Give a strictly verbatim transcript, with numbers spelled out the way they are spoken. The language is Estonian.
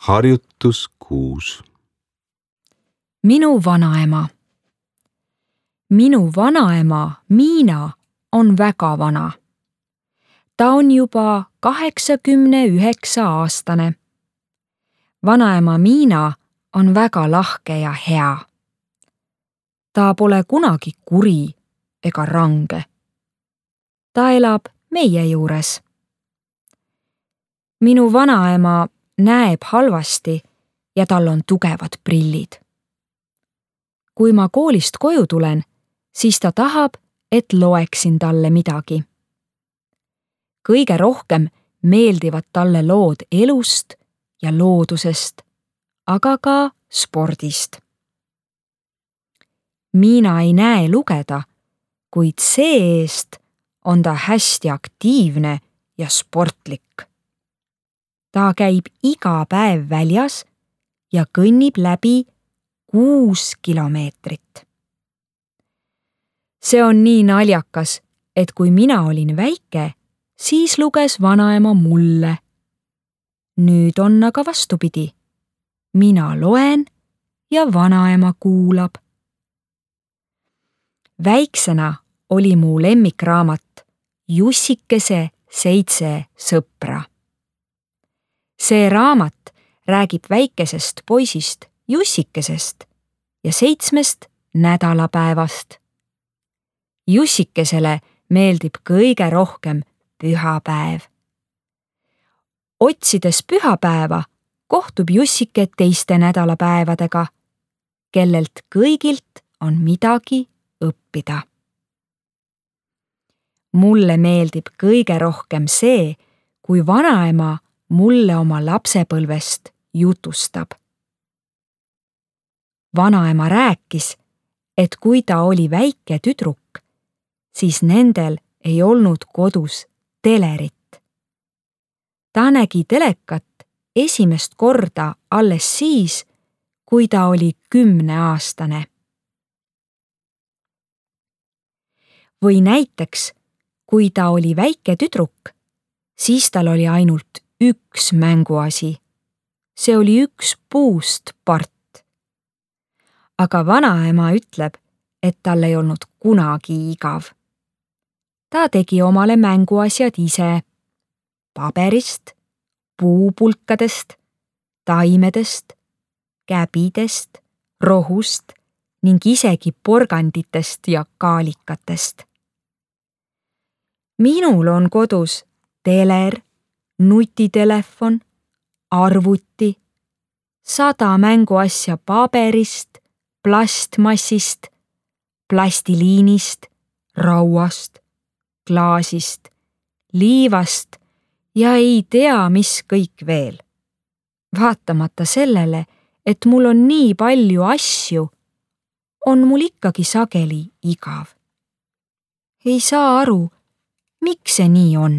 Harjutus kuus. Minu vanaema. Minu vanaema Miina on väga vana. Ta on juba kaheksakümne üheksa aastane. Vanaema Miina on väga lahke ja hea. Ta pole kunagi kuri ega range. Ta elab meie juures. Minu vanaema näeb halvasti ja tal on tugevad prillid. Kui ma koolist koju tulen, siis ta tahab, et loeksin talle midagi. Kõige rohkem meeldivad talle lood elust ja loodusest, aga ka spordist. Miina ei näe lugeda, kuid see-eest on ta hästi aktiivne ja sportlik. Ta käib iga päev väljas ja kõnnib läbi kuus kilomeetrit. See on nii naljakas, et kui mina olin väike, siis luges vanaema mulle. Nüüd on aga vastupidi. Mina loen ja vanaema kuulab. Väiksena oli mu lemmikraamat Jussikese seitse sõpra. See raamat räägib väikesest poisist Jussikesest ja seitsmest nädalapäevast. Jussikesele meeldib kõige rohkem pühapäev. Otsides pühapäeva kohtub Jussike teiste nädalapäevadega, kellelt kõigilt on midagi õppida. Mulle meeldib kõige rohkem see, kui vanaema mulle oma lapsepõlvest jutustab. Vanaema rääkis, et kui ta oli väike tüdruk, siis nendel ei olnud kodus telerit. Ta nägi telekat esimest korda alles siis, kui ta oli kümneaastane. Või näiteks, kui ta oli väike tüdruk, siis tal oli ainult üks mänguasi. See oli üks puust part. Aga vanaema ütleb, et tal ei olnud kunagi igav. Ta tegi omale mänguasjad ise paberist, puupulkadest, taimedest, käbidest, rohust ning isegi porganditest ja kaalikatest. Minul on kodus teler, nutitelefon, arvuti, sada mänguasja paberist, plastmassist, plastiliinist, rauast, klaasist, liivast ja ei tea, mis kõik veel. Vaatamata sellele, et mul on nii palju asju, on mul ikkagi sageli igav. Ei saa aru, miks see nii on.